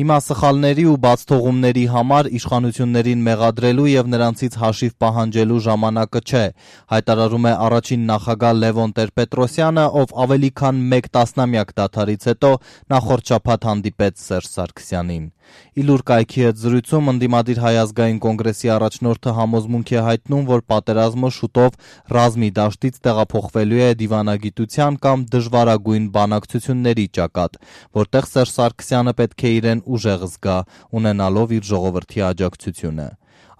Հիմա սխալների ու բացթողումների համար իշխանություններին մեղադրելու եւ նրանցից հաշիվ պահանջելու ժամանակը չէ, հայտարարում է առաջին նախագահ Լևոն Տեր-Պետրոսյանը, ով ավելի քան 1 տասնամյակ դադարից հետո նախորդ շաբաթ հանդիպեց Սերժ Սարգսյանին։ Իլուր կայքի հետ զրույցում ընդդիմադիր Հայ ազգային կոնգրեսի առաջնորդը համոզմունք է հայտնում, որ պատերազմը շուտով ռազմի դաշտից տեղափոխվելու է դիվանագիտության կամ դժվարագույն բանակցությունների ճակատ, որտեղ Սերժ Սարգսյանը պետք է իրեն ուժեղ զգա, ունենալով իր ժողովրդի աջակցությունը։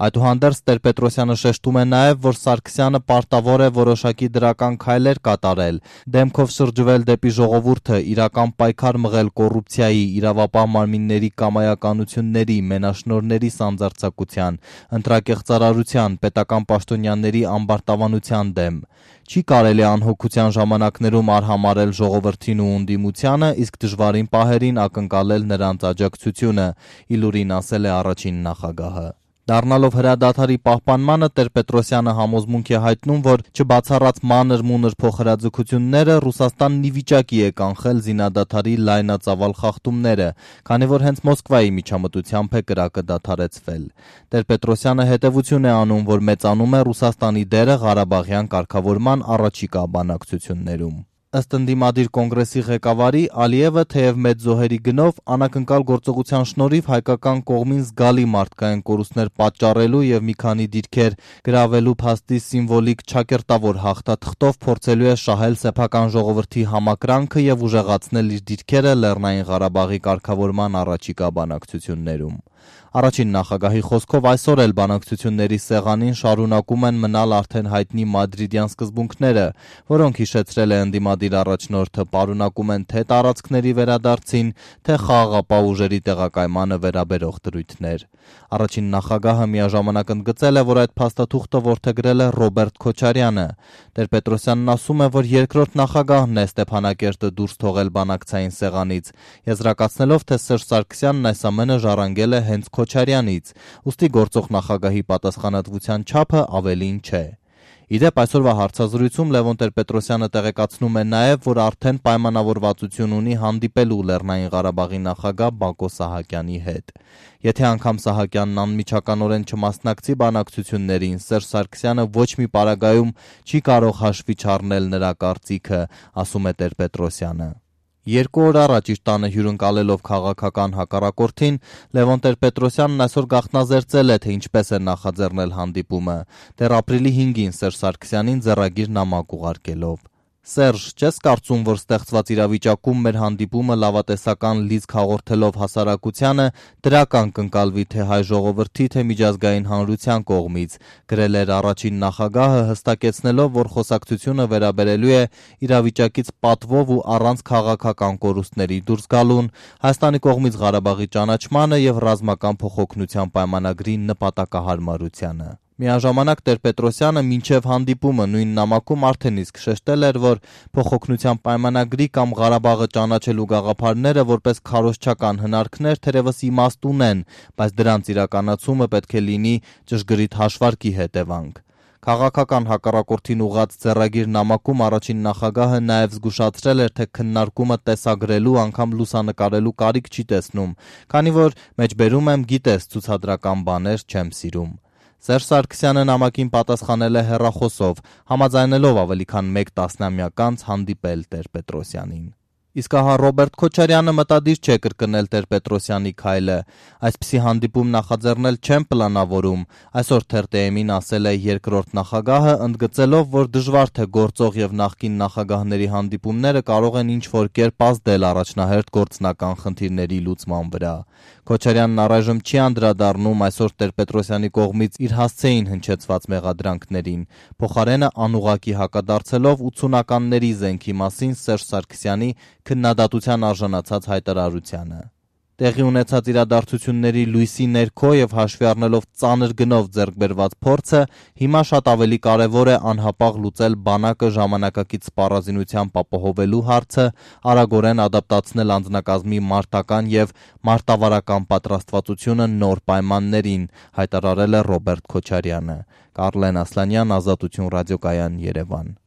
Այդուհանդերձ Տեր-Պետրոսյանը շեշտում է նաև, որ Սարգսյանը պարտավոր է որոշակի դրական քայլեր կատարել, դեմքով շրջվել դեպի ժողովուրդը, իրական պայքար մղել կոռուպցիայի, իրավապահ մարմինների կամայականությունների, մենաշնորհների սանձարձակության, ընտրակեղծարարության, պետական պաշտոնյաների ամբարտավանության դեմ։ Չի կարելի անհոգության ժամանակներում արհամարհել ժողովրդին ու ընդդիմությանը, իսկ դժվարին պահերին ակնկալել նրանց աջակցությունը, իլուրին ասել է առաջին նախագահը։ Դառնալով հրադադարի պահպանմանը Տեր-Պետրոսյանը համոզմունք է հայտնում, որ չբացառած մանր-մունր փոխհրաձգությունները Ռուսաստանն ի վիճակի է կանխել զինադադարի լայնածավալ խախտումները, քանի որ հենց Մոսկվայի միջամտությամբ է կրակը դադարեցվել։ Տեր-Պետրոսյանը հետևություն է անում, որ մեծանում է Ռուսաստանի դերը Ղարաբաղյան կարգավորման առաջիկա բանակցություններում։ Ըստ ընդդիմադիր կոնգրեսի ղեկավարի, Ալիևը թեև մեծ զոհերի գնով անակնկալ գործողության շնորհիվ հայկական կողմին զգալի մարդկային կորուստներ պատճառելու եւ մի քանի դիրքեր գրավելու փաստի սիմվոլիկ չակերտավոր հաղթաթղթով փորձելու է շահել սեփական ժողովրդի համակրանքը եւ ուժեղացնել իր դիրքերը Լեռնային Ղարաբաղի կարգավորման առաջիկա բանակցություններում։ Առաջին նախագահի խոսքով այսօր էլ բանակցությունների սեղանին շարունակում են մնալ արդեն հայտնի մադրիդյան սկզբունքները, որոնք հիշեցրել է ընդդիմադիր առաջնորդը, պարունակում են թե տարածքների վերադարձին, թե խաղաղապահ ուժերի տեղակայմանը վերաբերող դրույթներ։ Առաջին նախագահը միաժամանակ ընդգծել է, որ այդ փաստաթուղթը որդեգրել է Ռոբերտ Քոչարյանը։ Տեր-Պետրոսյանն ասում է, որ երկրորդ նախագահն է Ստեփանակերտը դուրս թողել բանակցային սեղանից, եզրակացնելով, թե Սերժ Սարգսյանն այս ամենը ժառանգել է հենց Քոչարյանից, ուստի գործող նախագահի պատասխանատվության չափը ավելին չէ։ Իդեպ այսօրվա հարցազրույցում Լևոն Տեր-Պետրոսյանը տեղեկացնում է նաև, որ արդեն պայմանավորվածություն ունի հանդիպելու Լեռնային Ղարաբաղի նախագահ Բակո Սահակյանի հետ։ Եթե անգամ Սահակյանն անմիջականորեն չմասնակցի բանակցություններին, Սերժ Սարգսյանը ոչ մի պարագայում չի կարող հաշվի չառնել նրա կարծիքը, ասում է Տեր-Պետրոսյանը։ 2 օր առաջ իր տանը հյուրընկալելով քաղաքական հակառակորդին, Լևոն Տեր-Պետրոսյանն այսօր գաղտնազերծել է, թե ինչպես է նախաձեռնել հանդիպումը, դեռ ապրիլի 5-ին Սերժ Սարգսյանին ձեռագիր նամակ ուղարկելով։ Սերժ, չես կարծում, որ ստեղծված իրավիճակում մեր հանդիպումը լավատեսական լիցք հաղորդելով հասարակությանը դրական կընկալվի թե հայ ժողովրդի, թե միջազգային հանրության կողմից, գրել էր առաջին նախագահը, հստակեցնելով, որ խոսակցությունը վերաբերելու է իրավիճակից պատվով ու առանց քաղաքական կորուստների դուրս գալուն, Հայաստանի կողմից Ղարաբաղի ճանաչմանը եւ ռազմական փոխօգնության պայմանագրի նպատակահարմարությանը։ Միաժամանակ Տեր-Պետրոսյանը մինչև հանդիպումը նույն նամակում արդեն իսկ շեշտել էր, որ փոխօգնության պայմանագրի կամ Ղարաբաղը ճանաչելու գաղափարները որպես քարոզչական հնարքներ թերևս իմաստ ունեն, բայց դրանց իրականացումը պետք է լինի ճշգրիտ հաշվարկի հետևանք։ Քաղաքական հակառակորդին ուղղած ձեռագիր նամակում առաջին նախագահը նաև զգուշացրել էր, թե քննարկումը տեսագրելու, անգամ լուսանկարելու կարիք չի տեսնում, քանի որ մեջբերում եմ գիտես ցուցադրական բաներ չեմ սիրում։ Սերժ Սարգսյանը նամակին պատասխանել է հեռախոսով, համաձայնելով ավելի քան 1 տասնամյակ անց հանդիպել Տեր-Պետրոսյանին։ Իսկ ահա Ռոբերտ Քոչարյանը մտադիր չէ կրկնել Տեր-Պետրոսյանի քայլը։ Այսպիսի հանդիպում նախաձեռնել չեն պլանավորում, այսօր ԹՏՄ-ին ասել է երկրորդ նախագահը, ընդգծելով, որ դժվար թե գործող եւ նախկին նախագահների հանդիպումները կարող են ինչ-որ կերպ ազդել առաջնահերթ գործնական խնդիրների լուծման վրա։ Քոչարյանն առայժմ չի անդրադառնում այսօր Տեր-Պետրոսյանի կողմից իր հասցեին հնչեցված մեղադրանքներին, փոխարենը անուղղակի հակադարձելով 80-ականների զենքի մասին Սերժ Սարգսյանի քննադատության արժանացած հայտարարությանը։ Տեղի ունեցած իրադարձությունների լույսի ներքո եւ հաշվի առնելով ծանր գնով ձեռք բերված փորձը, հիմա շատ ավելի կարեւոր է անհապաղ լուծել բանակը ժամանակակից սպառազինությամբ ապահովելու հարցը, արագորեն ադապտացնել անձնակազմի մարտական եւ մարտավարական պատրաստվածությունը նոր պայմաններին, հայտարարել է Ռոբերտ Քոչարյանը։ Կարլեն Ասլանյան, Ազատություն ռադիոկայան, Երևան։